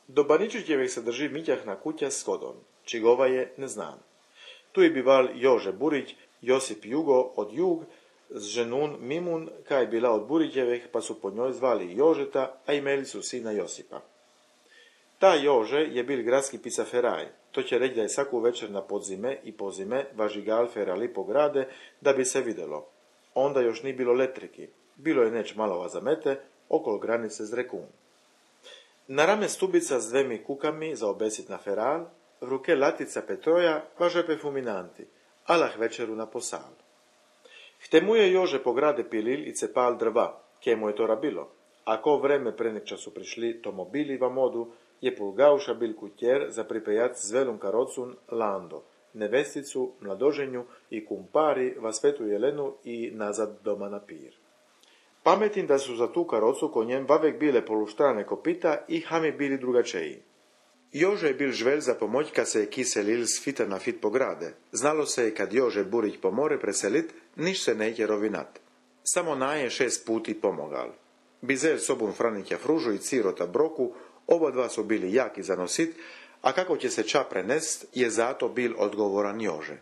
Do Baničićevih se drži Mitjahna kuća s shodom, čigova je ne znam. Tu je bival Jože Burić, Josip Jugo od Jug, s ženun Mimun, kaj bila od Burićevih, pa su po njoj zvali Jožeta, a imeli su sina Josipa. Ta Jože je bil gradski pisaferaj, to će reći da je svaku večer na podzime i pozime važigal ferali po grade, da bi se vidjelo. Onda još ni bilo letriki, bilo je neć malova zamete, okolo granice z Rekun. Na rame stubica s dvemi kukami za obesit na feral, v ruke latica Petroja, pa žepe fuminanti, alah večeru na posal. Chte mu je Jože po grade pilil i cepal drva, kje mu je to rabilo, a ko vreme pre nek času prišli tomobili va modu, je Pulgauša bil kutjer za pripejat s velom karocun Lando, nevesticu, mladoženju i kumpari va Svetu Jelenu i nazad doma na pir. Pametim da su za tu karocu konjem vavek bile poluštrane kopita i hami bili drugačeji. Jože je bil žvelj za pomoć kad se je kiselil s fita na fit po grade. Znalo se je kad Jože Burić pomore preselit, niš se neće rovinat. Samo naje 6 puti pomogal. Bizel sobom Franikja Fružu i Cirota Broku, oba dva su bili jaki za nosit, a kako će se ča prenest, je zato bil odgovoran Jože.